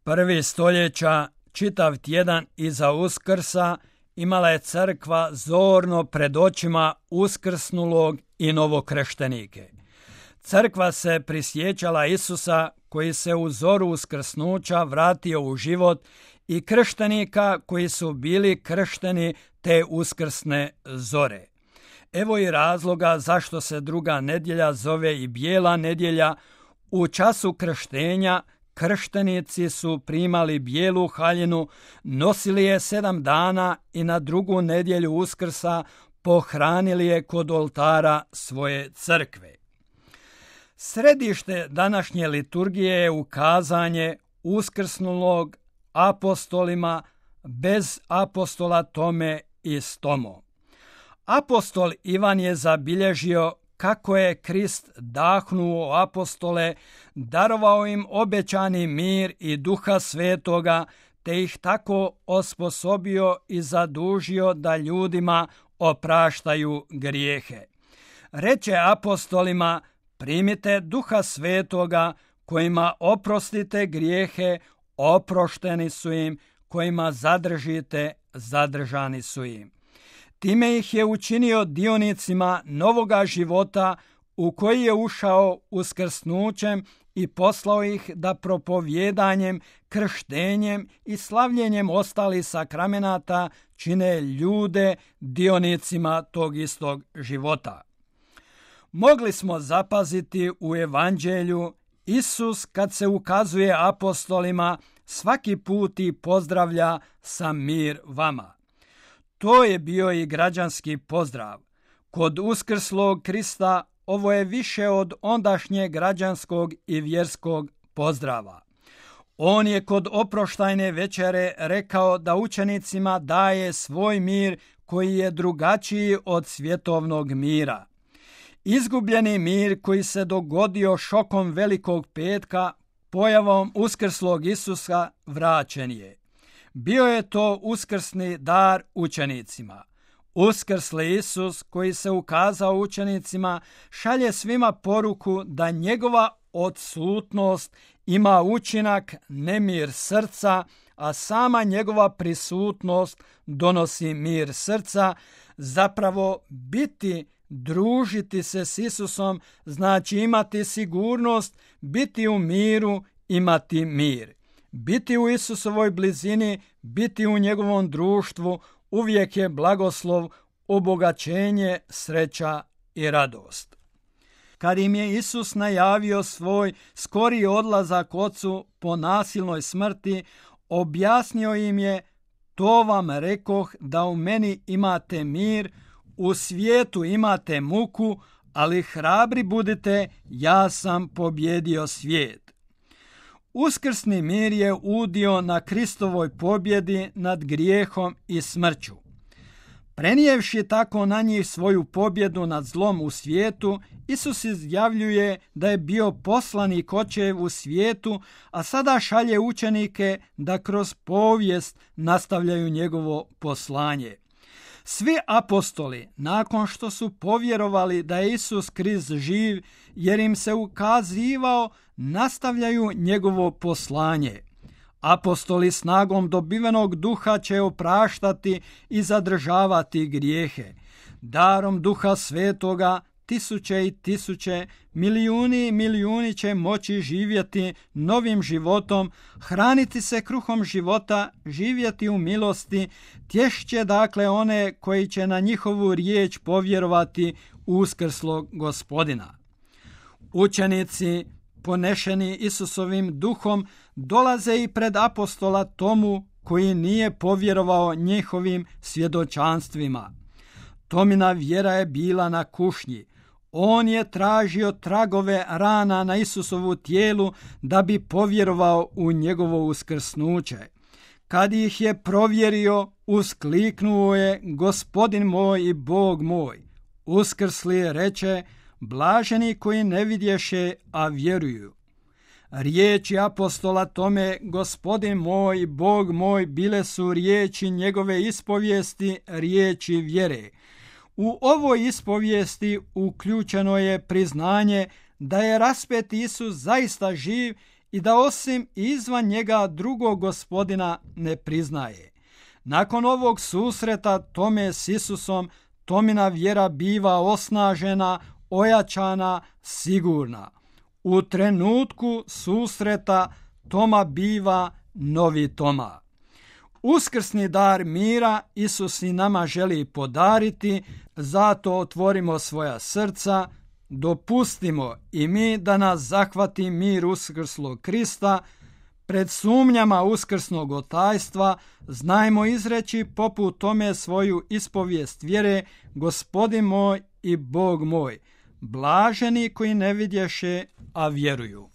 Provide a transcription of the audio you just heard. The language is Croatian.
Prvi stoljeća, čitav tjedan iza Uskrsa, imala je crkva zorno pred očima uskrsnulog i novokrštenike. Crkva se prisjećala Isusa koji se u zoru uskrsnuća vratio u život i krštenika koji su bili kršteni te uskrsne zore. Evo i razloga zašto se druga nedjelja zove i bijela nedjelja. U času krštenja krštenici su primali bijelu haljinu, nosili je 7 dana i na drugu nedjelju Uskrsa pohranili je kod oltara svoje crkve. Središte današnje liturgije je ukazanje uskrsnulog apostolima bez apostola Tome i Stomo. Apostol Ivan je zabilježio kako je Krist dahnuo apostole, darovao im obećani mir i Duha Svetoga, te ih tako osposobio i zadužio da ljudima opraštaju grijehe. Reče apostolima: primite Duha Svetoga, kojima oprostite grijehe, oprošteni su im, kojima zadržite, zadržani su im. Time ih je učinio dionicima novoga života u koji je ušao uskrsnućem i poslao ih da propovjedanjem, krštenjem i slavljenjem ostalih sakramenata čine ljude dionicima tog istog života. Mogli smo zapaziti u evanđelju, Isus kad se ukazuje apostolima svaki put i pozdravlja sa mir vama. To je bio i građanski pozdrav. Kod uskrslog Krista ovo je više od ondašnjeg građanskog i vjerskog pozdrava. On je kod oproštajne večere rekao da učenicima daje svoj mir koji je drugačiji od svjetovnog mira. Izgubljeni mir koji se dogodio šokom Velikog petka, pojavom uskrslog Isusa, vraćen je. Bio je to uskrsni dar učenicima. Uskrsli Isus koji se ukazao učenicima šalje svima poruku da njegova odsutnost ima učinak nemir srca, a sama njegova prisutnost donosi mir srca. Zapravo družiti se s Isusom znači imati sigurnost, biti u miru, imati mir. Biti u Isusovoj blizini, biti u njegovom društvu uvijek je blagoslov, obogaćenje, sreća i radost. Kad im je Isus najavio svoj skori odlazak Ocu po nasilnoj smrti, objasnio im je: to vam rekoh da u meni imate mir, u svijetu imate muku, ali hrabri budite, ja sam pobjedio svijet. Uskrsni mir je udio na Kristovoj pobjedi nad grijehom i smrću. Prenijevši tako na njih svoju pobjedu nad zlom u svijetu, Isus izjavljuje da je bio poslanik Očev u svijetu, a sada šalje učenike da kroz povijest nastavljaju njegovo poslanje. Svi apostoli, nakon što su povjerovali da je Isus Krist živ, jer im se ukazivao, nastavljaju njegovo poslanje. Apostoli snagom dobivenog duha će opraštati i zadržavati grijehe. Darom Duha Svetoga tisuće i tisuće, milijuni i milijuni će moći živjeti novim životom, hraniti se kruhom života, živjeti u milosti, tješće dakle one koji će na njihovu riječ povjerovati uskrslog Gospodina. Učenici, ponešeni Isusovim duhom, dolaze i pred apostola Tomu koji nije povjerovao njihovim svjedočanstvima. Tomina vjera je bila na kušnji. On je tražio tragove rana na Isusovu tijelu da bi povjerovao u njegovo uskrsnuće. Kad ih je provjerio, uskliknuo je: Gospodin moj i Bog moj. Uskrsli reče: blaženi koji ne vidješe, a vjeruju. Riječi apostola Tome: Gospodin moj i Bog moj, bile su riječi njegove ispovijesti, riječi vjere. U ovoj ispovijesti uključeno je priznanje da je raspeti Isus zaista živ i da osim izvan njega drugog gospodina ne priznaje. Nakon ovog susreta Tome s Isusom, Tomina vjera biva osnažena, ojačana, sigurna. U trenutku susreta Toma biva novi Toma. Uskrsni dar mira Isus i nama želi podariti, zato otvorimo svoja srca, dopustimo i mi da nas zahvati mir uskrslog Krista. Pred sumnjama uskrsnog otajstva znajmo izreći poput Tome svoju ispovijest vjere: Gospodin moj i Bog moj, blaženi koji ne vidješe, a vjeruju.